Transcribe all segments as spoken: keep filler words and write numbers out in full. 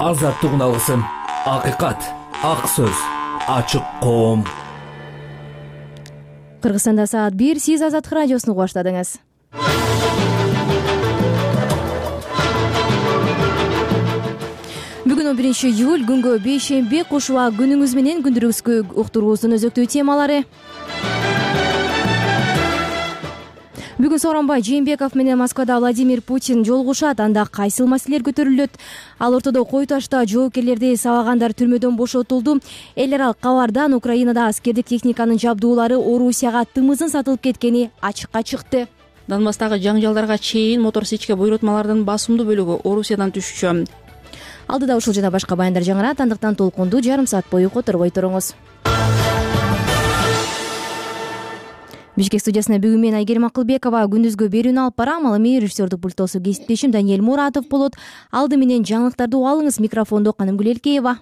азаттык үналысын, акыйкат, ак сөз, ачык коом. Кыргызстанда саат бир, сиз Азаттык радиосуну баштадыңыз. Бүгүн он биринчи июль, күнгө бейшемби, кушуа күнүңүз менен күндүрүгүзгө уктуруубуздун өзөктүү темалары. Бүгүн Сооронбай Жээнбеков менен Москвада Владимир Путин жолугушат. Анда кайсыл маселелер көтөрүлөт? Ал ортодо Кой Ташта жоопкерлерди сабагандар түрмөдөн бошотулду. Эл аралык кабардан Украинада аскердик техниканын жабдуулары Орусияга тымызын сатылып кеткени ачыкка чыкты. Донбасстагы жаңжалдарга чейин мотор сечке буйрутмалардын басымдуу бөлүгү Орусиядан түшчү. Алдыда ушул жана башка баяндар жаңырат, андыктан толкунду жарым саат бою которбой туруңуз. Бишкек студиясына бүгүн мен Айгерим Акылбекова күндүзгө берүүнү алып барам. Ал эми режиссердик пульттосу кесиптешим Даниэль Муратов болот. Алды менен жаңылыктарды угуп алыңыз. Микрофондо Канымгүл Элкеева.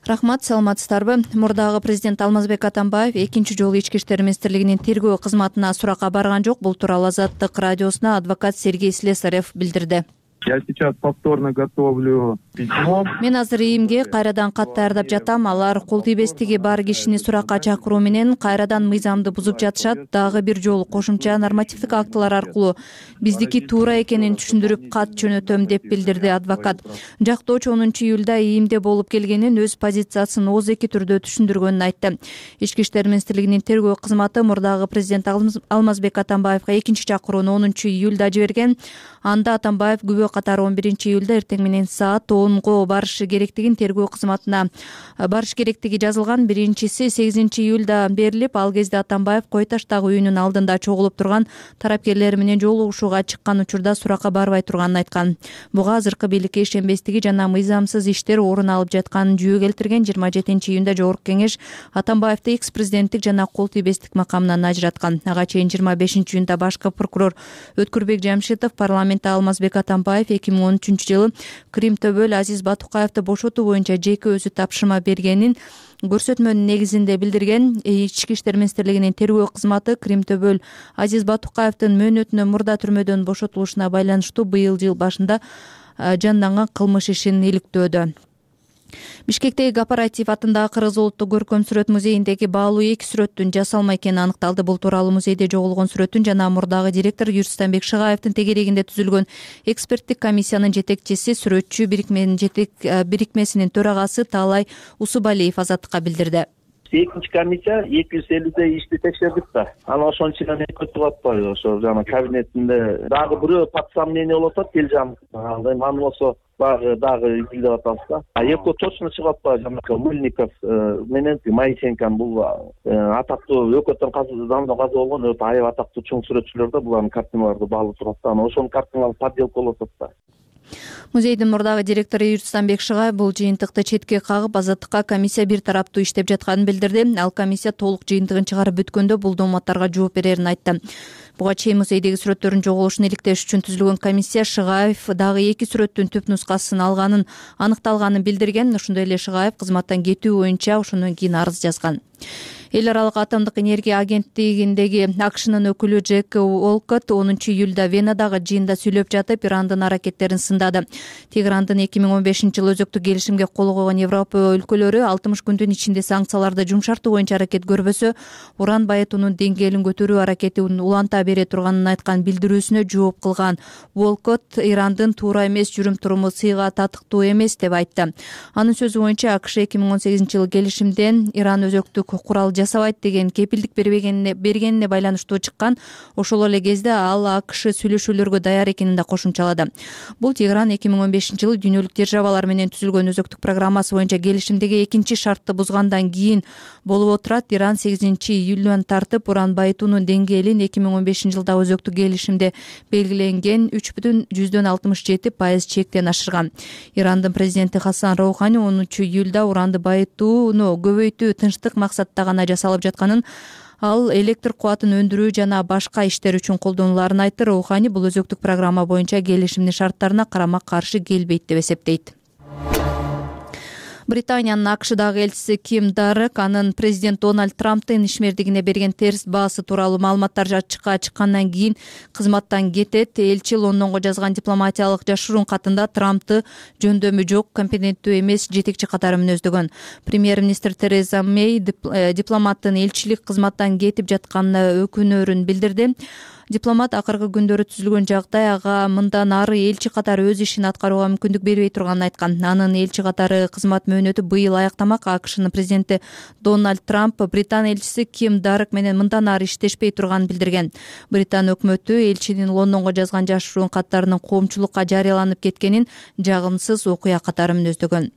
Рахмат, саламатсыздарбы? Мурдагы президент Алмазбек Атамбаев экинчи жолу Ички иштер министрлигинин тергөө кызматына суракка барган жок. Бул тууралуу Азаттык радиосуна адвокат Сергей Слесарев билдирди. Я сейчас повторно готовлю письмо. Мен азыр ИИМге кайрадан кат даярдап жатам. Алар кол тийбестиги бар кишини суракка чакыруу менен кайрадан мыйзамды бузуп жатышат. Дагы бир жолу кошумча нормативдик актылар аркылуу биздики туура экенин түшүндүрүп кат жөнөтөм деп билдирди адвокат. Жактоочу онунчу июлда ИИМде болуп келгенин, өз позициясын ооздеки түрдө түшүндүргөнүн айтты. Ички иштер министрлигинин тергөө кызматы мурдагы президент Алмазбек Атамбаевга экинчи чакырууну онунчу июлда жиберген. Анда Атамбаев күбө катары он биринчи июлда эртең менен саат онго барышы керектигин тергөө кызматына барыш керектиги жазылган. Биринчиси сегизинчи июлда берилип, ал кезде Атамбаев Кой Таштагы үйүнүн алдында чогулуп турган тарапкерлер менен жолугушууга чыккан учурда суракка барбай турганын айткан. Буга азыркы бийликке ишенбестиги жана мыйзамсыз иштер орун алып жатканын жүйө келтирген. жыйырма жетинчи июнда Жогорку Кеңеш Атамбаевди экс президенттик жана кол тийбестик макамынан ажыраткан. Ага чейин жыйырма бешинчи июнда башкы прокурор Өткүрбек Жамшитов парламентте Алмазбек Атамбаев эки миң он үчүнчү жылы Кримтөбөл Азиз Батукаевди бошотуу боюнча жеке өзү тапшырма бергенин көрсөтмөнүн негизинде билдирген. Ички иштер министрлигинин тергөө кызматы Кримтөбөл Азиз Батукаевдин мөөнөтүнө мурда түрмөдөн бошотулушуна байланыштуу быйыл жыл башында жанданган кылмыш ишин иликтөөдө. Бишкектеги Кооператив атындагы Кыргыз улуттук көркөм сүрөт музейиндеги баалуу эки сүрөттүн жасалма экени аныкталды. Бул тууралуу музейде жоголгон сүрөттүн жана мурдагы директор Юрстанбек Шыгаевдин тегерегинде түзүлгөн эксперттик комиссиянын жетекчиси, сүрөтчү бирикменин жетек бирикмесинин төрагасы Таалай Усубалиев Азаттыкка билдирди. Экинчи комиссия эки жүз элүүдөй ишти текшердик да. Анан ошонун ичинен өтүп атпайбы? Ошо жана кабинетинде дагы бирөө подсомнение болуп атат, Телжан. Аны болсо дагы дагы изилдеп атабыз да. А экөө точно чыгып атпайбы? Жана Мыльников менен Моисенкан бул атактуу өкөттөн казы заманда казы болгон өтө аябай атактуу чоң сүрөтчүлөр да, булардын картиналарды баалып турат да. Анан ошонун картиналары подделка болуп атат да. Музейдин мурдагы директору Юрстанбек Шыгаев бул жыйынтыкты четке кагып, Азаттыкка комиссия бир тараптуу иштеп жатканын билдирди. Ал комиссия толук жыйынтыгын чыгарып бүткөндө бул дооматтарга жооп берерин айтты. Буга чейин музейдеги сүрөттөрдүн жоголушун иликтеш үчүн түзүлгөн комиссия Шыгаев дагы эки сүрөттүн түп нускасын алганын аныкталганын билдирген. Ошондой эле Шыгаев кызматтан кетүү боюнча ошондон кийин арыз жазган. Эл аралык атомдук энергия агенттигиндеги АКШнын өкүлү Джек Уолкотт онунчу июлда Венадагы жыйында сүйлөп жатып, Ирандын аракеттерин сындады. Тегерандын эки миң он бешинчи жылы өзөктүк келишимге кол койгон Европа өлкөлөрү алтымыш күндүн ичинде санкцияларды жумшартуу боюнча аракет көрбөсө, уран байытуунун деңгээлин көтөрүү аракетин уланта бере турганын айткан билдирүүсүнө жооп кылган Уолкотт Ирандын туура эмес жүрүм-туруму сыйга татыктуу эмес деп айтты. Анын сөзү боюнча АКШ эки миң он сегизинчи жылы келишимден Иран өзөктүк курал жасабайт деген кепилдик бергенине бергенине байланыштуу чыккан. Ошол эле кезде ал АКШ сүйлөшүүлөргө даяр экенин да кошумчалады. Бул Тегеран эки миң он бешинчи жылы дүйнөлүк державалар менен түзүлгөн өзөктүк программасы боюнча келишимдеги экинчи шартты бузгандан кийин болуп отурат. Иран сегизинчи июлдан тартып уран байытуунун деңгээлин эки миң он бешинчи жылдагы өзөктүк келишимде белгиленген үч бүтүн жүздөн алтымыш жети пайыз чектен ашырган. Ирандын президенти Хасан Роухани онунчу июлда уранды байытууну көбөйтүү тынчтык максатта гана жасалып жатканын, ал электр кубатын өндүрүү жана башка иштер үчүн колдонуларын айтты. Роухани бул өзөктүк программа боюнча келишимдин шарттарына карама каршы келбейт деп эсептейт. Британиянын АКШдагы элчиси Ким Дарек анын президент Дональд Трамптын ишмердигине берген терс баасы тууралуу маалыматтар ачыкка чыккандан кийин кызматтан кетет. Элчи Лондонго жазган дипломатиялык жашыруун катында Трампты жөндөмү жок, компетенттүү эмес жетекчи катары мүнөздөгөн. Премьер-министр Тереза Мэй дипломаттын элчилик кызматтан кетип жатканына өкүнөрүн билдирди. Дипломат акыркы күндөрү түзүлгөн жагдай ага мындан ары элчи катары өз ишин аткарууга мүмкүндүк бербей турганын айткан. Анын элчи катары кызмат мөөнөтү быйыл аяктамак. АКШнын президенти Дональд Трамп Британ элчиси Ким Дарек менен мындан ары иштешпей турганын билдирген. Британ өкмөтү элчинин Лондонго жазган жашыруун каттарынын коомчулукка жарыяланып кеткенин жагымсыз окуя катары мүнөздөгөн.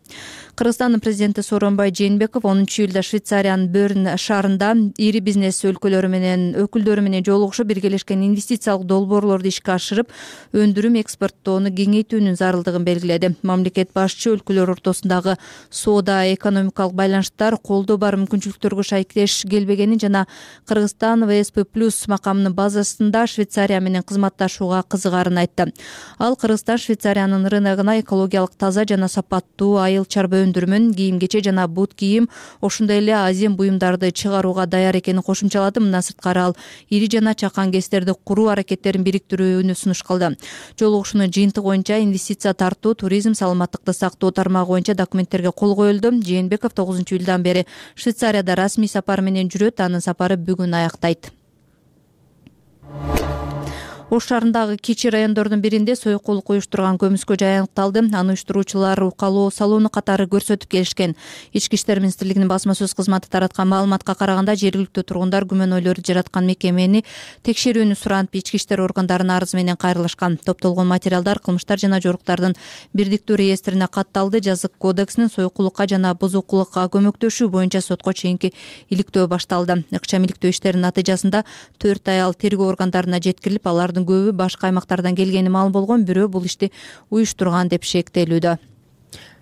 Кыргызстандын президенти Сооронбай Жээнбеков онунчу июлда Швейцариянын Берн шаарында ири бизнес өлкөлөрү менен өкүлдөрү менен жолугушуп биргелешкен инвестициялык долбоорлорду ишке ашырып, өндүрүм экспорттоону кеңейтүүнүн зарылдыгын белгиледи. Мамлекет башчы өлкөлөр ортосундагы соода экономикалык байланыштар колдоо бар мүмкүнчүлүктөргө шайкелеш келбегенин жана Кыргызстан вэ эс пэ плюс макамынын базасында Швейцария менен кызматташууга кызыгарын айтты. Ал Кыргызстан Швейцариянын рыногуна экологиялык таза жана сапаттуу айыл чарба өндүрүмүн, кийим-кече жана бут кийим, ошондой эле азем буюмдарды чыгарууга даяр экенин кошумчалады. Мындан сырткары ал ири жана чакан кестерди куруу аракеттерин бириктирүүнү сунуш кылды. Жолугушуунун жыйынтыгы боюнча инвестиция тартуу, туризм, саламаттыкты сактоо тармагы боюнча документтерге кол коюлду. Жээнбеков тогузунчу июлдан бери Швейцарияда расмий сапар менен жүрөт. Анын сапары бүгүн аяктайт. Ош шаарындагы кичи райондордун биринде соекулук уюштурган көмүскө жай аныкталды. Аны уюштуруучулар укалоо салууну катары көрсөтүп келишкен. Ички иштер министрлигинин басма сөз кызматы тараткан маалыматка караганда, жергиликтүү тургундар күмөнөөлөрдү жараткан мекемени текшерүүнү суранып, ички иштер органдарына арыз менен кайрылышкан. Топтолгон материалдар кылмыштар жана жоруктардын бирдиктүү реестрине катталды. Жазык кодексинин соекулукка жана бузукулукка көмөктөшүү боюнча сотко чейинки иликтөө башталды. Ыкчам иликтөө иштеринин натыйжасында төрт аял тергөө органдарына жеткирилип, алардын көбү башка аймактардан келгени маалым болгон, бирөө бул ишти уюштурган деп шектелүүдө.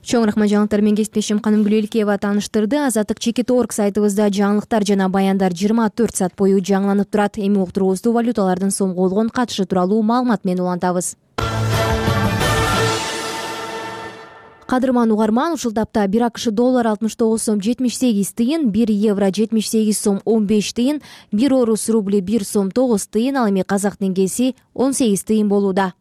Чоң рахмат, жаңылыктар менен кесиптешим Канымгүл Элкеева тааныштырды. Азаттык чекит точка орг сайтыбызда жаңылыктар жана баяндар жыйырма төрт саат бою жаңыланып турат. Эми уктуруубузду валюталардын сомго болгон катышы тууралуу маалымат менен улантабыз. Кадырман угарман, ушул тапта бир АКШ доллар алтымыш тогуз сом жетимиш сегиз тыйын, бир евро жетимиш сегиз сом он беш тыйын, бир орус рубли бир сом тогуз тыйын, ал эми казак теңгеси он сегиз тыйын болууда.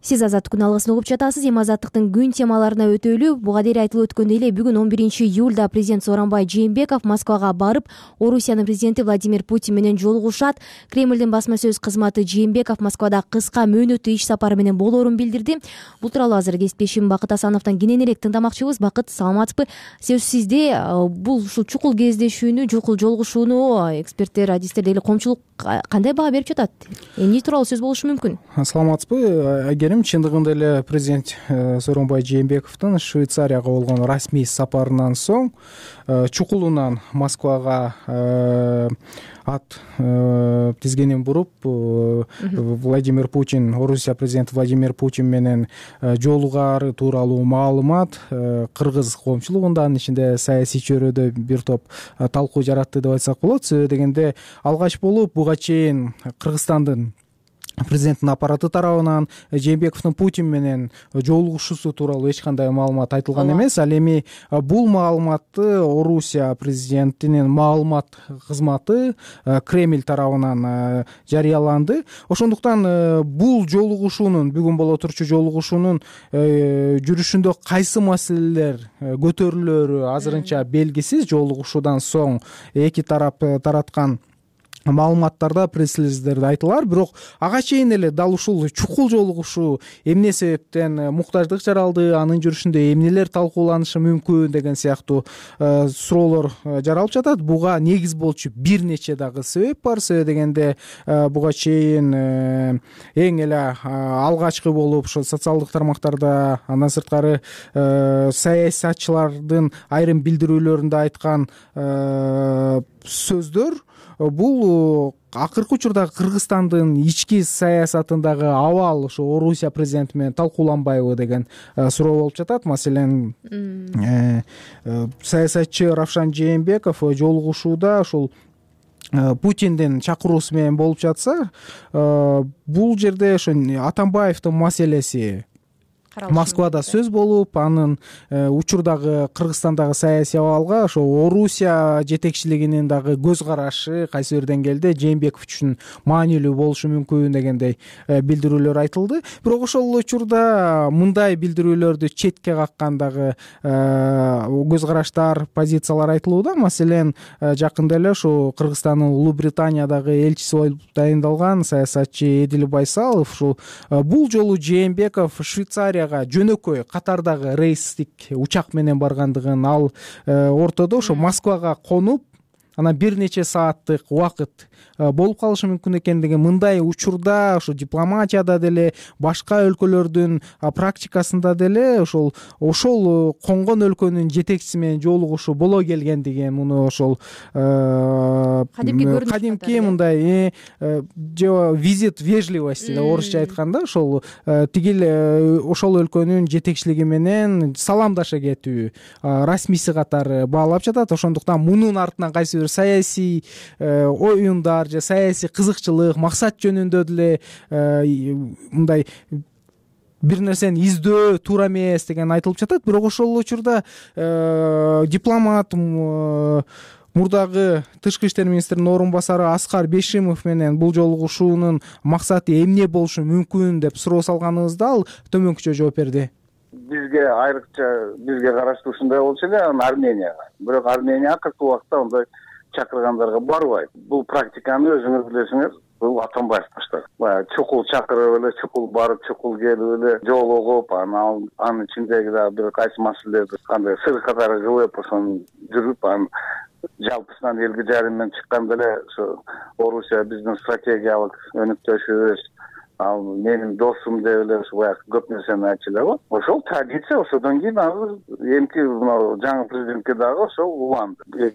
Сиз Азаттык күн алгысын угуп жатасыз. Эми Азаттыктын күн темаларына өтөлү. Буга дейин айтылып өткөндөй эле бүгүн он биринчи июлда президент Сооронбай Жээнбеков Москвага барып, Орусиянын президенти Владимир Путин менен жолугушат. Кремлдин басма сөз кызматы Жээнбеков Москвада кыска мөөнөттүү иш сапары менен болоорун билдирди. Бул тууралуу азыр кесиптешим Бакыт Асановдон кененирээк тыңдамакчыбыз. Бакыт, саламатсызбы? Сөз сизде. Бул ушул чукул кездешүүнү, чукул жолугушууну эксперттер, адистер деле коомчулук кандай баа берип жатат? Эмне тууралуу сөз болушу мүмкүн? Саламатсызбы? Чындыгында эле президент Сооронбай Жээнбековдун Швейцарияга болгон расмий сапарынан соң чукулунан Москвага ат тизгенин буруп, Владимир Путин, Орусия президенти Владимир Путин менен жолугаары тууралуу маалымат кыргыз коомчулугунда, анын ичинде саясий чөйрөдө бир топ талкуу жаратты деп айтсак болот. Себеби дегенде алгач болуп буга чейин Кыргызстандын президенттин аппараты тарабынан Жээнбековдун Путин менен жолугушуусу тууралуу эч кандай маалымат айтылган эмес. Ал эми бул маалыматты Орусия президентинин маалымат кызматы Кремль тарабынан жарыяланды. Ошондуктан бул жолугушуунун, бүгүн боло турчу жолугушуунун жүрүшүндө кайсы маселелер көтөрүлөрү азырынча белгисиз. Жолугушуудан соң эки тарап тараткан маалыматтарда, пресс-релиздерде айтылар, бирок ага чейин эле дал ушул чукул жолугушуу эмне себептен муктаждык жаралды, анын жүрүшүндө эмнелер талкууланышы мүмкүн деген сыяктуу суроолор жаралып жатат. Буга негиз болчу бир нече дагы себеп бар. Себеби дегенде буга чейин эң эле алгачкы болуп ошо социалдык тармактарда, андан сырткары саясатчылардын айрым билдирүүлөрүндө айткан сөздөр, бул акыркы учурда Кыргызстандын ички саясатындагы абал ошо Орусия президенти менен талкууланбайбы деген суроо болуп жатат. Маселен, саясатчы Равшан Жээнбеков жолугушууда ушул Путиндин чакыруусу менен болуп жатса, бул жерде ошо Атамбаевдин маселеси Москвада сөз болуп, анын учурдагы Кыргызстандагы саясий абалга ошо Орусия жетекчилигинин дагы көз карашы кайсы бир деңгээлде Жээнбеков үчүн маанилүү болушу мүмкүн дегендей билдирүүлөр айтылды. Бирок ошол учурда мындай билдирүүлөрдү четке каккан дагы көз караштар, позициялар айтылууда. Маселен, жакында эле ошо Кыргызстандын Улуу Британиядагы элчиси болуп дайындалган саясатчы Эдил Байсалов ушул бул жолу Жээнбеков Швейцария жөнөкөй катардагы рейстик учак менен баргандыгын, ал ортодо ошо Москвага конуп, анан бир нече сааттык убакыт болуп калышы мүмкүн экендиги, мындай учурда ошо дипломатияда деле, башка өлкөлөрдүн практикасында деле ошол ошол конгон өлкөнүн жетекчиси менен жолугушуу боло келгендиги, муну ошол кадимки мындай визит вежливости деп орусча айтканда, ошол тигил ошол өлкөнүн жетекчилиги менен саламдаша кетүү расмийси катары баалап жатат. Ошондуктан мунун артынан кайсы бир саясий оюндар же саясий кызыкчылык, максат жөнүндө деле мындай бир нерсени издөө туура эмес деген айтылып жатат. Бирок ошол учурда дипломат мурдагы тышкы иштер министринин орун басары Аскар Бейшимов менен бул жолугушуунун максаты эмне болушу мүмкүн деп суроо салганыбызда ал төмөнкүчө жооп берди. Бизге айрыкча бизге караштуу ушундай болчу эле, анан Арменияга. Бирок Армения акыркы убакта ондай чакыргандарга барбайт. Бул практиканы өзүңүз билесиңиз, бул Атамбаев баштаган. Баягы чукул чакырып эле, чукул барып, чукул келип эле жолугуп, анан анын ичиндеги дагы бир кайсы маселелерди кандай сыр катары кылып, ошону жүрүп, анан жалпысынан элге жарым менен чыкканда эле ошо Орусия биздин стратегиялык өнүктөшүбүз, ал менин досум деп эле ошо баягы көп нерсени айтчу эле го. Ошол традиция, ошодон кийин азыр эмки мына жаңы президентке дагы ошол уланды.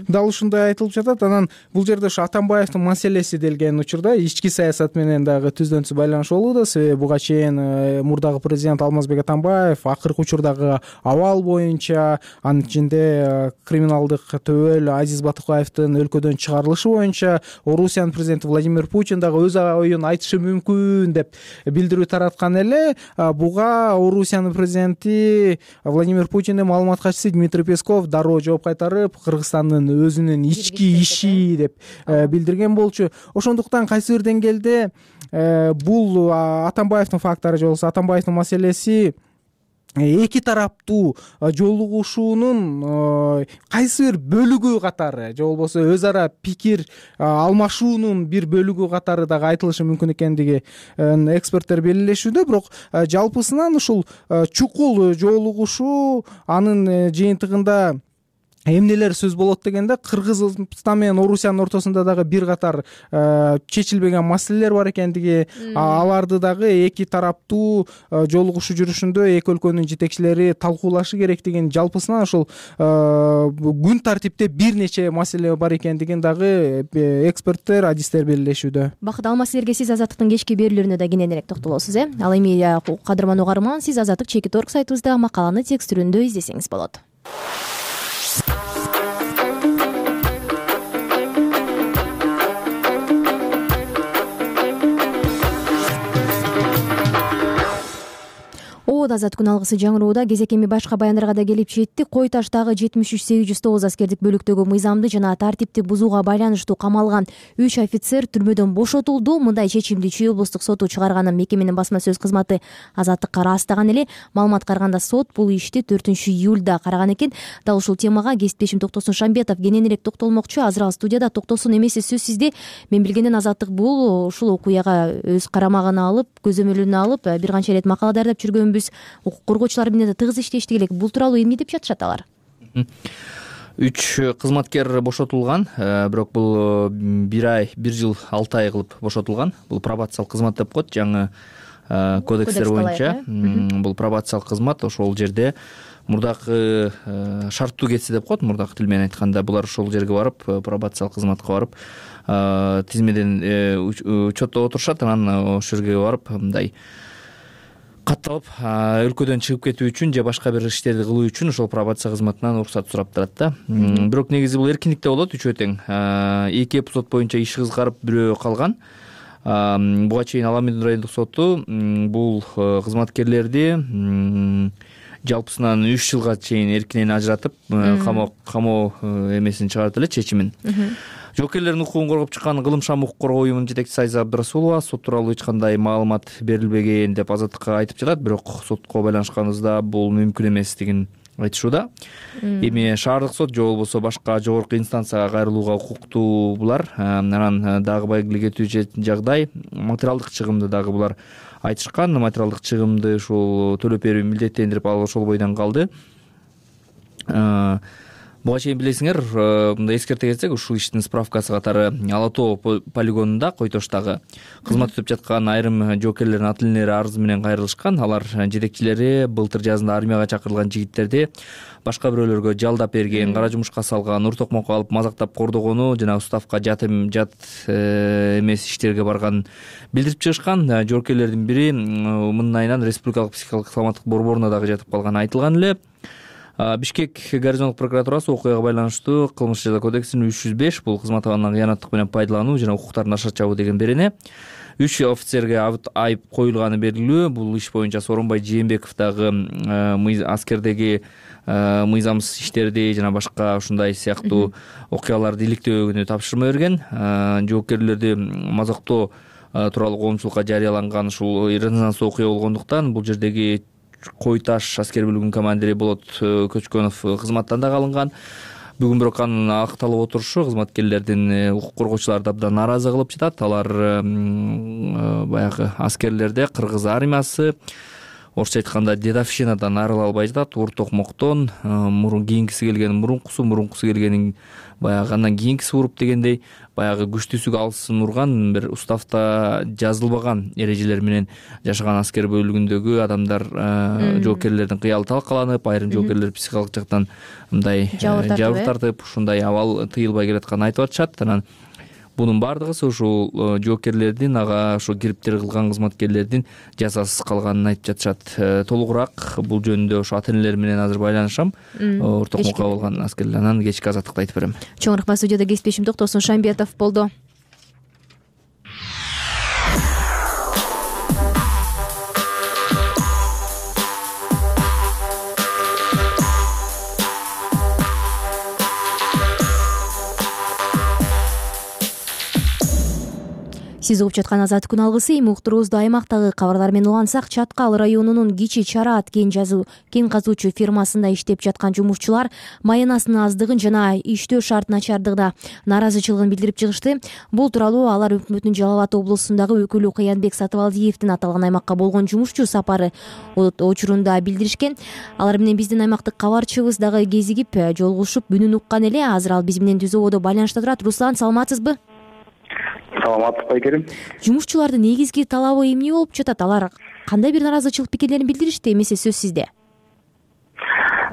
Дал ушундай айтылып жатат. Анан бул жерде ошо Атамбаевдин маселеси делген учурда ички саясат менен дагы түздөн-түз байланыш болууда. Себеби буга чейин мурдагы президент Алмазбек Атамбаев акыркы учурдагы абал боюнча, анын ичинде криминалдык төбөл Азиз Батыкаевдин өлкөдөн чыгарылышы боюнча Орусиянын президенти Владимир Путин дагы өз оюн айтышы мүмкүн деп билдирүү тараткан эле. Буга Орусиянын президенти Владимир Путиндин маалымат катчысы Дмитрий Песков дароо жооп кайтарып, Кыргызстандын өзүнүн ички иши деп билдирген болчу. Ошондуктан кайсы бир деңгээлде бул Атамбаевдин фактору же болбосо Атамбаевдин маселеси эки тараптуу жолугушуунун кайсы бир бөлүгү катары же болбосо өз ара пикир алмашуунун бир бөлүгү катары дагы айтылышы мүмкүн экендиги эксперттер белгилешүүдө. Бирок жалпысынан ушул чукул жолугушуу, анын жыйынтыгында эмнелер сөз болот дегенде, Кыргызстан менен Орусиянын ортосунда дагы бир катар чечилбеген маселелер бар экендиги, аларды дагы эки тараптуу жолугушуу жүрүшүндө эки өлкөнүн жетекчилери талкуулашы керектигин, жалпысынан ошол күн тартипте бир нече маселе бар экендигин дагы эксперттер, адистер белгилешүүдө. Бакыт, ал маселелерге сиз Азаттыктын кечки берүүлөрүнө да кененирээк токтолосуз, э? Ал эми кадырман угарман, сиз Азаттык чекит орг сайтыбызда макаланы текст түрүндө издесеңиз болот. Азат күн алгысы жаңыроодо кезек эми башка баяндарга да келип жетти. Кой таштагы жетимиш үч сегиз жүз тогуз аскердик бөлүктөгү мыйзамды жана тартипти бузууга байланыштуу камалган үч офицер түрмөдөн бошотулду. Мындай чечимди Чүй облустук соту чыгарганын мекеменин басма сөз кызматы Азаттыкка ырастаган эле. Маалыматка караганда сот бул ишти төртүнчү июлда караган экен. Дал ушул темага кесиптешим Токтосун Шамбетов кененирээк токтолмокчу. Азыр ал студияда. Токтосун, эмеси сөзсүздө мен билгенден Азаттык бул ушул окуяга өз карамагына алып, көзөмөлүнө алып бир канча ирет макала дайындап жүргөнбүз. Укук коргоочулар менен да тыгыз иштешти элек. Бул тууралуу эмне деп жатышат алар? Үч кызматкер бошотулган, бирок бул бир ай, бир жыл алты ай кылып бошотулган. Бул пробациялык кызмат деп коет жаңы кодекстер боюнча. Бул пробациялык кызмат, ошол жерде мурдакы шарттуу кетси деп коет, мурдакы тил менен айтканда. Булар ошол жерге барып, пробациялык кызматка барып, тизмеден учетто отурушат, анан ошол жерге барып мындай катталып өлкөдөн чыгып кетүү үчүн же башка бир иштерди кылуу үчүн ошол пробация кызматынан уруксат сурап турат да. Бирок негизи бул эркиндикте болот, үчөө тең. Эки эпизод боюнча иш кызгарып, бирөө калган. Буга чейин Ала Абаддын райондук соту бул кызматкерлерди жалпысынан үч жылга чейин эркинен ажыратып, камоо камоо эмесин чыгарды эле, чечимин. Жоокерлердин укугун коргоп чыккан Кылым Шам укук коргоо уюмунун жетекчиси Айза Абдрасулова сот тууралуу эч кандай маалымат берилбеген деп Азаттыкка айтып жатат, бирок сотко байланышканыбызда бул мүмкүн эместигин айтышууда. Эми шаардык сот же болбосо башка жогорку инстанцияга кайрылууга укуктуу булар. Анан дагы байгелик этүү жагдай материалдык чыгымды дагы булар айтышкан. Материалдык чыгымды ушул төлөп берүү милдеттендирип алып ошол бойдон калды. Буга чейин билесиңер, мындай эскерте кетсек, ушул иштин справкасы катары Ала Тоо полигонунда, Кой Тоштагы кызмат өтөп жаткан айрым жоокерлердин ата-энелери арыз менен кайрылышкан. Алар жетекчилери былтыр жазында армияга чакырылган жигиттерди башка бирөөлөргө жалдап берген, кара жумушка салган, ур токмокко алып мазактап кордогону жана уставка жат жат эмес иштерге барганын билдирип чыгышкан. Жоокерлердин бири мындан айынан Республикалык психикалык саламаттык борборуна дагы жатып калганы айтылган эле. Бишкек гарнизондук прокуратурасы окуяга байланыштуу Кылмыш жаза кодексинин үч жүз беш бул кызмат абалынан кыянаттык менен пайдалануу жана укуктарын ашар чабуу деген берене үч офицерге айып коюлганы белгилүү. Бул иш боюнча Сооронбай Жээнбеков дагы аскердеги мыйзамсыз иштерди жана башка ушундай сыяктуу окуяларды иликтөөгүнү тапшырма берген. Жоокерлерди мазактоо тууралуу коомчулукка жарыяланган ушул резонанс окуя болгондуктан бул жердеги Кой Таш аскер бөлүгүнүн командири Болот Көчкөнов кызматтан дагы алынган. Бүгүн бирок анын акталып отурушу кызматкерлердин укук коргоочуларды абдан нааразы кылып жатат. Алар баягы аскерлерде кыргыз армиясы, орусча айтканда дедовщинадан арыла албай жатат. Ур токмоктон мурун кийинкиси келген мурункусу, мурункусу келгенин баягы андан кийинкиси уруп дегендей, баягы күчтүүсүгө алсын урган, бир уставта жазылбаган эрежелер менен жашаган аскер бөлүгүндөгү адамдар, жоокерлердин кыялы талкаланып, айрым жоокерлер психикалык жактан мындай жабыр тартып, ушундай абал тыйылбай келатканын айтып атышат. Анан бунун баардыгы ушул жоокерлердин, ага ошо кириптер кылган кызматкерлердин жазасыз калганын айтып жатышат. Толугураак бул жөнүндө ошо ата-энелер менен азыр байланышам. Ортокмокко болгон аскерлер. Анан кечки Азаттыкты айтып берем. Чоң рахмат. Студияда кесиптешим Токтосун Шамбетов болду. Сиз угуп жаткан Азаттык күн алгысы. Эми уктуруубузду аймактагы кабарлар менен улантсак, Чаткал районунун Кичи Чараат кен жазуу кен казуучу фирмасында иштеп жаткан жумушчулар маянасынын аздыгын жана иштөө шарт начардыгына нааразычылыгын билдирип чыгышты. Бул тууралуу алар өкмөттүн Жалал Абад облусундагы өкүлү Кыянбек Сатыбалдиевдин аталган аймакка болгон жумушчу сапары учурунда билдиришкен. Алар менен биздин аймактык кабарчыбыз дагы кезигип жолугушуп, үнүн уккан эле. Азыр ал биз менен түзүүбодо байланышта турат. Руслан, саламатсызбы? Саламатсыз байкерим. Жумушчулардын негизги талабы эмне болуп жатат? Алар кандай бир наразычылык пикирлерин билдиришти? Эмесе сөз сизде.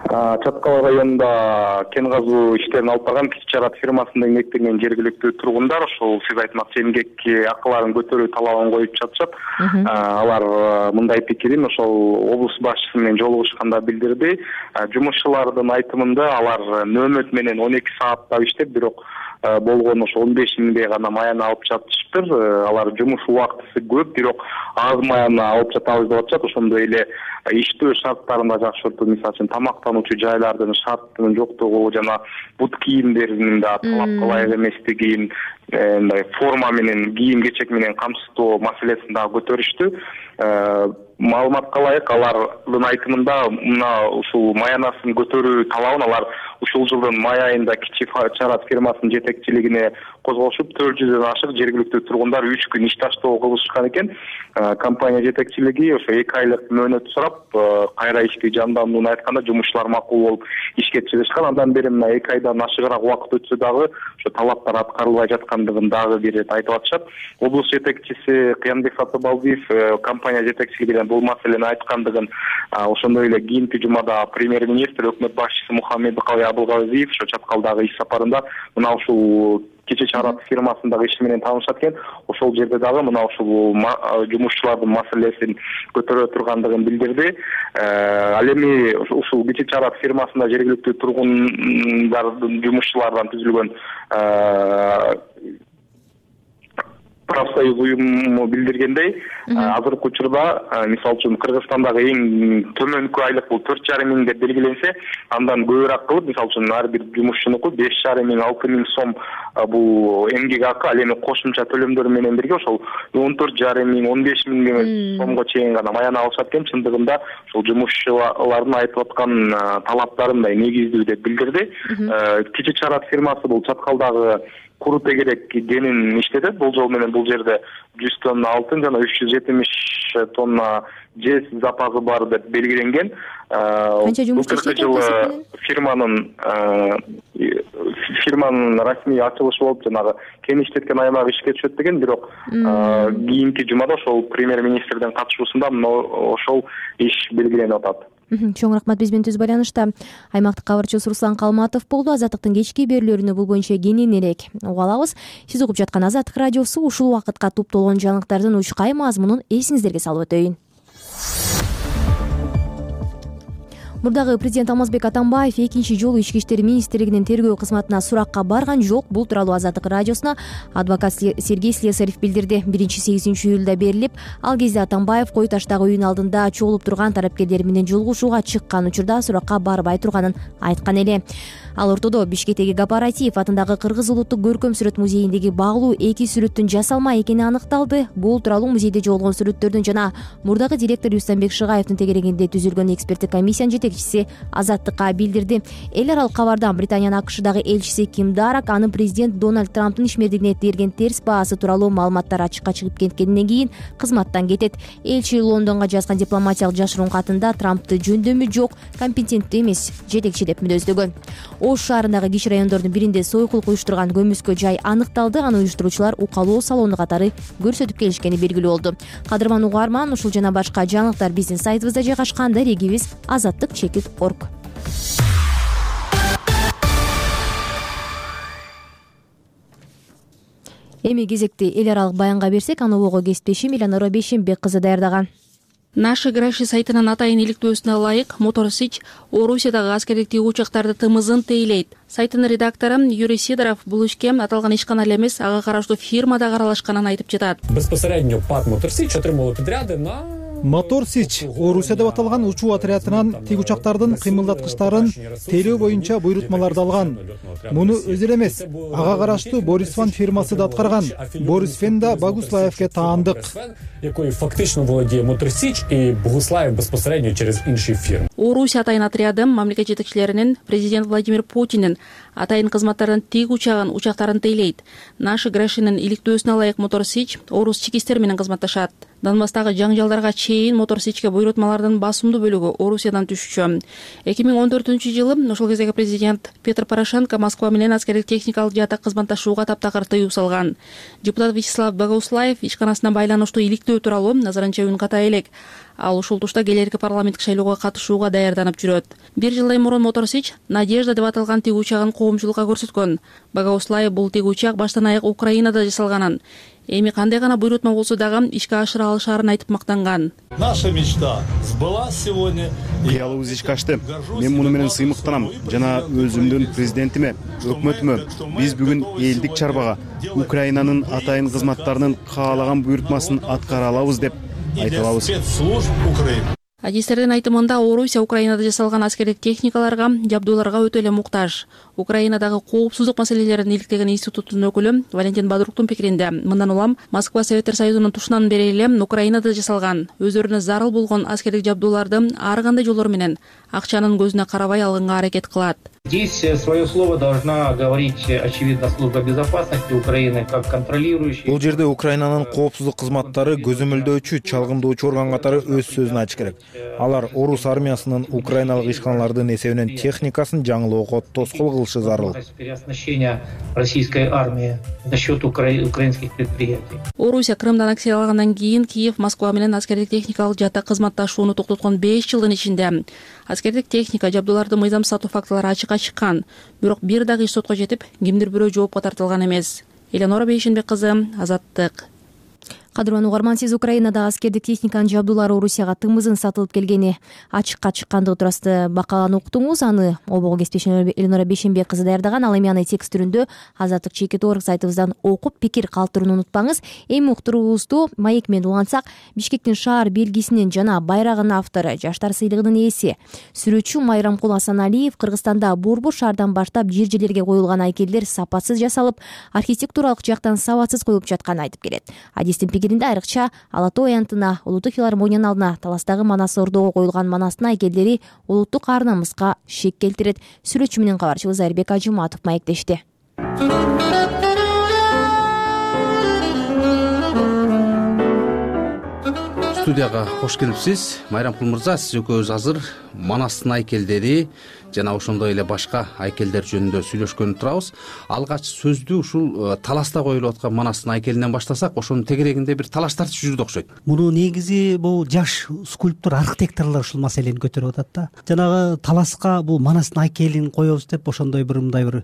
Чаткал районунда кен казуу иштерин алып барган Кичи Чараат фирмасында эмгектенген жергиликтүү тургундар ошол сиз айтмакчы эмгекке акыларын көтөрүү талабын коюп жатышат. Алар мындай пикирин ошол облус башчысы менен жолугушканда билдирди. Жумушчулардын айтымында алар нөөмөт менен он эки сааттап иштеп, бирок болгон ошо он беш миңдей гана маяны алып жатышыптыр. Алар жумуш убактысы көп, бирок аз маяны алып жатабыз деп атышат. Ошондой эле иштөө шарттарын да жакшыртуу, мисалы үчүн тамактануучу жайлардын шарттын жоктугу жана бут кийимдеринин да талапка ылайык эместигин, мындай форма менен, кийим кечек менен камсыздоо маселесин дагы көтөрүштү. Маалыматка ылайык алардын айтымында мына ушул маянасын көтөрүү талабын алар ушул жылдын май айында Кичи Чараат фирмасынын жетекчилигине козгошуп, төрт жүздөн ашык жергиликтүү тургундар үч күн иш таштоо кылышкан экен. Компания жетекчилиги ошо эки айлык мөөнөт сурап, кайра ишти жандандууну айтканда жумушчулар макул болуп ишке чыгышкан. Андан бери мына эки айдан ашыгыраак убакыт өтсө дагы ошо талаптар аткарылбай жаткандыгын дагы бир ирет айтып атышат. Облус жетекчиси Кыянбек Сатыбалдиев компания жетекчилигине бул маселени айткандыгын, ошондой эле кийинки жумада премьер-министр, өкмөт башчысы Мухаммедкалый Абылгазиев ошо Чаткалдагы иш сапарында мына ушул кече чарат фирмасындагы иши менен таанышат экен. Ошол жерде дагы мына ушул жумушчулардын маселесин көтөрө тургандыгын билдирди. Ал эми ушул кече чарат фирмасында жергиликтүү тургундардын жумушчулардан түзүлгөн профсоюз уюму билдиргендей, азыркы учурда мисалы үчүн Кыргызстандагы эң төмөнкү айлык бул төрт жарым миң деп белгиленсе, андан көбүрөөк кылып, мисалы үчүн ар бир жумушчунуку беш жарым миң алты миң сом бул эмгек акы, ал эми кошумча төлөмдөр менен бирге ошол он төрт жарым миң он беш миң сомго чейин гана маяна алышат экен. Чындыгында ошол жумушчулардын айтып аткан талаптары мындай негиздүү деп билдирди. Кече чарат фирмасы бул Чаткалдагы куру тегерек кенин иштетет. Болжол менен бул жерде жүз тонна алтын жана үч жүз жетимиш тонна жез запасы бар деп белгиленген. Канча жумушчу иштейт? Жылы фирманын фирманын расмий ачылышы болуп, жанагы кен иштеткен аймак ишке түшөт деген, бирок кийинки жумада ошол премьер-министрдин катышуусунда ошол иш белгиленип атат. Чоң рахмат. Биз менен түз байланышта аймактык кабарчыбыз Руслан Калматов болду. Азаттыктын кечки берүүлөрүнө бул боюнча кененирээк угуп алабыз. Сиз угуп жаткан Азаттык радиосу. Ушул убакытка топтолгон жаңылыктардын учкай мазмунун эсиңиздерге салып өтөйүн. Мурдагы президент Алмазбек Атамбаев экинчи жолу Ички иштер министрлигинин тергөө кызматына суракка барган жок. Бул тууралуу Азаттык радиосуна адвокат Сергей Слесарев билдирди. биринчи сегизинчи июлда берилип, ал кезде Атамбаев Кой таштагы үйүнүн алдында чогулуп турган тараптерлер менен жолугушууга чыккан учурда суракка барбай турганын айткан эле. Ал ортодо Бишкектеги Гапаратиев атындагы Кыргыз улуттук көркөм сүрөт музейиндеги багылуу эки сүрөттүн жасалма экени аныкталды. Бул тууралуу музейде жоголгон сүрөттөрдүн жана мурдагы директор Рустамбек Шыгаевдин тегерегинде түзүлгөн эксперттик комиссиянын жетекчиси Азаттыкка билдирди. Эл аралык кабардан Британиянын АКШдагы элчиси Ким Дарак анын президент Дональд Трамптын ишмердигине берген терс баасы тууралуу маалыматтар ачыкка чыгып кеткенден кийин кызматтан кетет. Элчи Лондонго жазган дипломатиялык жашыруун катында Трамптты жөндөмү жок, компетенттүү эмес жетекчи деп мүнөздөгөн. Ош шаарындагы кичи райондордун биринде сойкулук уюштурган көмүскө жай аныкталды. Аны уюштуруучулар укалоо салону катары көрсөтүп келишкени белгилүү болду. Кадырман угарман, ушул жана башка жаңылыктар биздин сайтыбызда жайгашкан. Дарегибиз азаттык чекит точка орг. Эми кезекти эл аралык баянга берсек, аны ого кесиптешим Эланора Бейшембек кызы даярдаган. Наши Граши сайтынын атайын иликтөөсүнө ылайык Мотор Сич Орусиядагы аскердик тиги учактарды тымызын тейлейт. Сайттын редактору Юрий Сидоров бул ишке аталган ишкана эле эмес, ага караштуу фирмада аралашканын айтып жатат. Безпосередньо ПАК Мотор Сич отримало подряды на Мотор Сич Орусия деп аталган учуу отрядынан тиг учактардын кыймылдаткычтарын тейлөө боюнча буйрутмаларды алган. Муну өзү эле эмес, ага караштуу Борис Фан фирмасы да аткарган. Борис Фен да Богуслаевке таандык. Якой фактично владее Мотор Сич и Богуслаев безпосередньо через инши фирм. Орусия атайын отряды мамлекет жетекчилеринин президент Владимир Путиндин атайын кызматтардын тиг учагын учактарын тейлейт. Наши Грашинин иликтөөсүнө ылайык Мотор Сич орус чек иштер менен кызматташат. Донбасстагы жаңжалдарга чейин Мотор Сичке буйрутмалардын басымдуу бөлүгү Орусиядан түшчү. эки миң он төртүнчү жылы ошол кездеги президент Петр Порошенко Москва менен аскердик техникалык жаатта кызматташууга таптакыр тыюу салган. Депутат Вячеслав Богуслаев ишканасына байланыштуу иликтөө тууралуу назарынча үнката элек. Ал ушул тушта келерки парламенттик шайлоого катышууга даярданып жүрөт. Бир жылдай мурун Мотор Сич Надежда деп аталган тиг учагын коомчулукка көрсөткөн. Богуслаев бул тиг учак баштан аяк Украинада жасалганын, эми кандай гана буйрутма болсо дагы ишке ашыра алышаарын айтып мактанган. Наша мечта сбылась сегодня. Кыялыбыз ишке ашты. Мен муну менен сыймыктанам жана өзүмдүн президентиме, өкмөтүмө биз бүгүн элдик чарбага Украинанын атайын кызматтарынын каалаган буйрутмасын аткара алабыз деп айта алабыз. Адистердин айтымында Орусия Украинада жасалган аскердик техникаларга, жабдууларга өтө эле муктаж. Украинадагы коопсуздук маселелерин иликтеген институттун өкүлү Валентин Бадруктун пикиринде, мындан улам Москва Советтер Союзунун тушунан бери эле Украинада жасалган, өзүрүнө зарыл болгон аскердик жабдууларды ар кандай жолдор менен акчанын көзүнө карабай алганга аракет кылат. Здесь свое слово должна говорить, очевидно, служба безопасности Украины как контролирующий. Бул жерде Украинанын коопсуздук кызматтары көзөмөлдөөчү, чалгындоочу орган катары өз сөзүн ачыш керек. Алар орус армиясынын украиналык ишканалардын эсебинен техникасын жаңылоого тоскоол кылышы зарыл. Переоснащение российской армии за счет украинских предприятий. Орусия Крымдан аннексиялагандан кийин Киев Москва менен аскердик техникалык жаатта кызматташууну токтоткон беш жылдын ичинде аскердик техника, жабдууларды мыйзам сатуу фактылары ачыкка сотка чыккан, бирок бир дагы иш сотко жетип, кимдир бирөө жоопко тартылган эмес. Эленора Бейшенбек кызы, Азаттык. Кадырман угарман, сиз Украинада аскердик техниканын жабдуулары Орусияга тымызын сатылып келгени ачыкка чыккандыгы туурасында макаланы уктуңуз. Аны обого кесиптешим Эленора Бейшенбек кызы даярдаган. Ал эми аны текст түрүндө Азаттык чекит орг сайтыбыздан окуп, пикир калтырууну унутпаңыз. Эми уктуруубузду маек менен улантсак, Бишкектин шаар белгисинин жана байрагынын автору, Жаштар сыйлыгынын ээси сүрөтчү Майрамкул Асаналиев Кыргызстанда Борбор шаардан баштап жер жерлерге коюлган айкелдер сапатсыз жасалып, архитектуралык жактан сабатсыз коюлуп жатканын айтып келет. Адистин айрыкча Ала тоо аянтына, Улуттук филармониянын алдына Таластагы Манас Ордого коюлган Манастын айкелдери улуттук ар намыска шек келтирет. Сүрөтчү менен кабарчыбыз Айрбек Ажыматов маектешти. Студияга кош келипсиз. Майрамкул мырза, сиз экөөбүз азыр Манастын айкелдери жана ошондой эле башка айкелдер жөнүндө сүйлөшкөнү турабыз. Алгач сөздү ушул Таласта коюлуп аткан Манастын айкелинен баштасак, ошонун тегерегинде бир талаш тартыш жүрдү окшойт. Муну негизи бул жаш скульптор, архитекторлор ушул маселени көтөрүп атат да. Жанагы Таласка бул Манастын айкелин коебуз деп ошондой бир мындай бир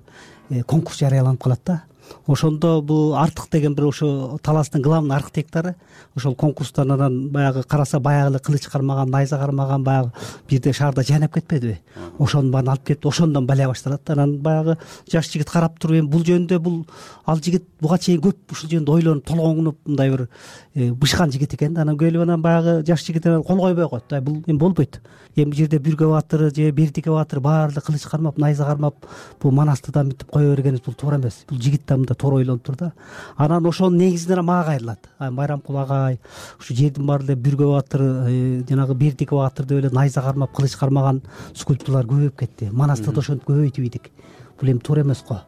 конкурс жарыяланып калат да. Ошондо бул Артык деген бир ошо Таластын главный архитектору ошол конкурстан анан баягы караса баягы эле кылыч кармаган, найза кармаган баягы бирде шаарда жайнап кетпедиби? Ошону баарын алып кетип, ошондон балия башталат. Анан баягы жаш жигит карап туруп, эми бул жөнүндө бул ал жигит буга чейин көп ушул жөнүндө ойлонуп, толгоңунуп мындай бир бышкан жигит экен да. Анан келип анан баягы жаш жигит кол койбой коет. Бул эми болбойт. Эми бул жерде Бүргө баатыры же Бердике баатыры баары эле кылыч кармап, найза кармап, бул Манасты да мынтип кое бергенибиз бул туура эмес. Бул жигит да мында туура ойлонуп тур да. Анан ошонун негизинен мага кайрылат. Майрамкул агай ушу жердин баары эле Бүргө баатыры, жанагы Бердике баатыр деп эле найза кармап, кылыч кармаган скульптурлар көбөйүп кетти. Манасты да ошентип көбөйтүп ийдик. Бул эми туура эмес го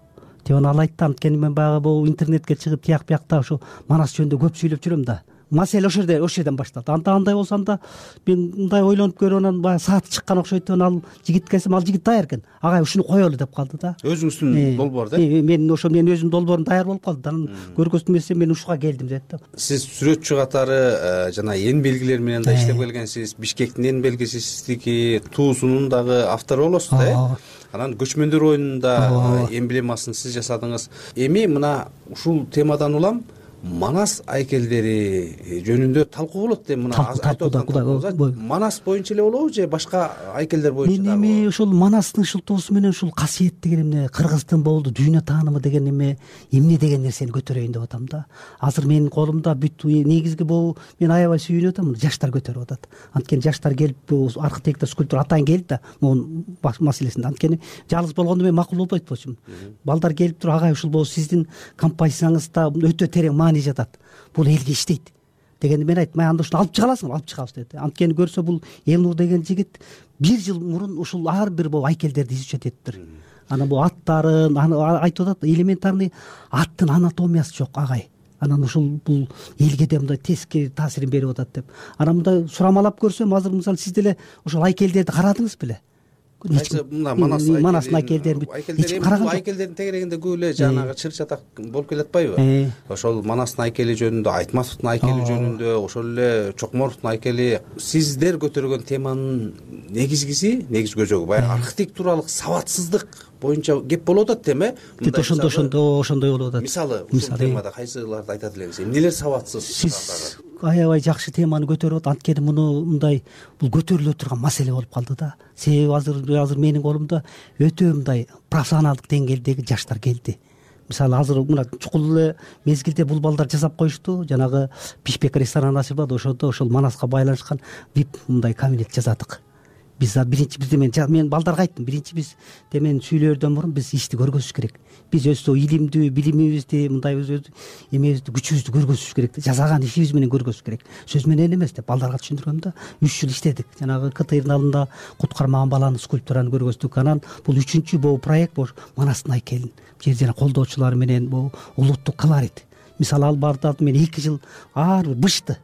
деп анан ал айтты. Анткени мен баягы бул интернетке чыгып тияк биякта ушу Манас жөнүндө көп сүйлөп жүрөм да. Маселе ошол жерде, ошол жерден башталды. Анда андай болсо анда мен мындай ойлонуп көрүп анан баягы сааты чыккан окшойт деп ал жигитке келсем, ал жигит даяр экен. Агай ушуну коелу деп калды да. Өзүңүздүн долбоор да? Мен ошо менин өзүмдүн долбоорум даяр болуп калды. Анан көргөзмөсү мен ушуга келдим деді да. Сиз сүрөтчү катары жана эн белгилер менен да иштеп келгенсиз. Бишкектин эн белгиси сиздики, Туусунун дагы автору болосуз да, э? Анан көчмөндөр оюнунун да эмблемасын сиз жасадыңыз. Эми мына ушул темадан улам Манас айкелдери жөнүндө талкуу болот деп мына айтып атам. Манас боюнча эле болобу же башка айкелдер боюнча дагы? Мен эми ушул Манастын шылтоосу менен ушул касиет деген эмне, кыргыздын болду дүйнө таанымы деген эме, эмне деген нерсени көтөрөйүн деп атам да. Азыр менин колумда бүт негизги бул мен аябай сүйүнүп атам, жаштар көтөрүп атат. Анткени жаштар келип, бул архитектор, скульптор атайын келди да могу маселесинде. Анткени жалгыз болгондо мен макул болбойт болчумун. Балдар келип туруп, агай ушул бул сиздин композицияңызда өтө терең маани жатат. Бул элге иштейт дегенди мен айттым. Анда ушуну алып чыга аласыңбы? Алып чыгабыз деди. Анткени көрсө бул Элнур деген жигит бир жыл мурун ушул ар бир бул айкелдерди изучать этиптир. Анан бул аттарын айтып атат, элементарный аттын анатомиясы жок агай. Анан ушул бул элге да мындай тескери таасирин берип атат деп. Анан мындай сурамалап көрсөм, азыр мисалы сиз деле ошол айкелдерди карадыңыз беле? Манастын айкелдерин эч караган жок. Айкелдердин тегерегинде көп эле жанагы чыр чатак болуп келатпайбы? Ошол Манастын айкели жөнүндө, Айтматовдун айкели жөнүндө, ошол эле Чокморовдун айкели. Сиздер көтөргөн теманын негизгиси, негиз көзөгү баягы архитектуралык сабатсыздык боюнча кеп болуп атат деме? Ошондой ошондой ошондой болуп атат. Мисалы, ушул темада кайсыларды айтат элеңиз? Эмнелер сабатсыз? Сиз аябай жакшы теманы көтөрүп атат. Анткени муну мындай бул көтөрүлө турган маселе болуп калды да. Себеби азыр азыр менин колумда өтө мындай профессионалдык деңгээлдеги жаштар келди. Мисалы азыр мына чукул эле мезгилде бул балдар жасап коюшту. Жанагы Бишбек рестораны ачылып атат. Ошондо ошол Манаска байланышкан вип мындай кабинет жасадык. Биз биринчи бизде мен мен балдарга айттым, биринчи биз темен сүйлөөрдөн мурун биз ишти көргөзүш керек. Биз өзү илимдүү, билимибизди, мындай өз эмебизди, күчүбүздү көргөзүш керек. Жасаган ишибиз менен көргөзүш керек. Сөз менен эмес деп балдарга түшүндүргөм да. үч жыл иштедик. Жанагы КТРдын алдында кут кармаган баланын скульптураны көргөздүк. Анан бул үчүнчү бул проект бул Манастын айкелин жер жана колдоочулары менен бул улуттук колорит. Мисалы ал барды мен эки жыл ар бир бышты.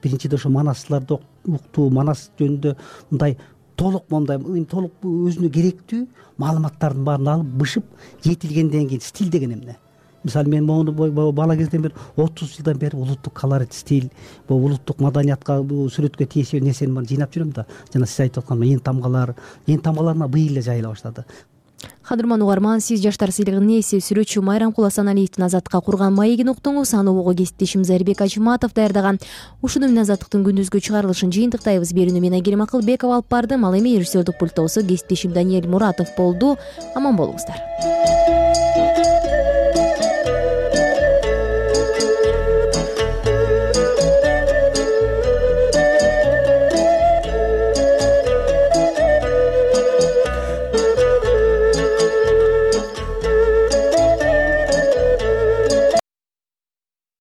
Биринчиде ошо Манасларды уктуу, Манас жөнүндө мындай толук мындай толук өзүнө керектүү маалыматтардын баарын алып бышып, жетилгенден кийин стиль деген эмне. Мисалы мен мону бала кезден бери отуз жылдан бери улуттук колорит, стиль, бул улуттук маданиятка, бул сүрөткө тиешелүү нерсени баарын жыйнап жүрөм да. Жана сиз айтып аткан эн тамгалар, эн тамгаларына быйыл эле жайыла баштады. кадырман угарман, сиз жаштар сыйлыгынын ээси сүрөтчү Майрамкул Асаналиевдин Азаттыкка курган маегин уктуңуз. Аны угууга кесиптешим Зарбек Ажыматов даярдаган. Ушуну менен Азаттыктын күндүзгү чыгарылышын жыйынтыктайбыз. Берүүнү мен Айгерим Акылбекова алып бардым. Ал эми режиссердик пульттоосу кесиптешим Даниэль Муратов болду. Аман болуңуздар.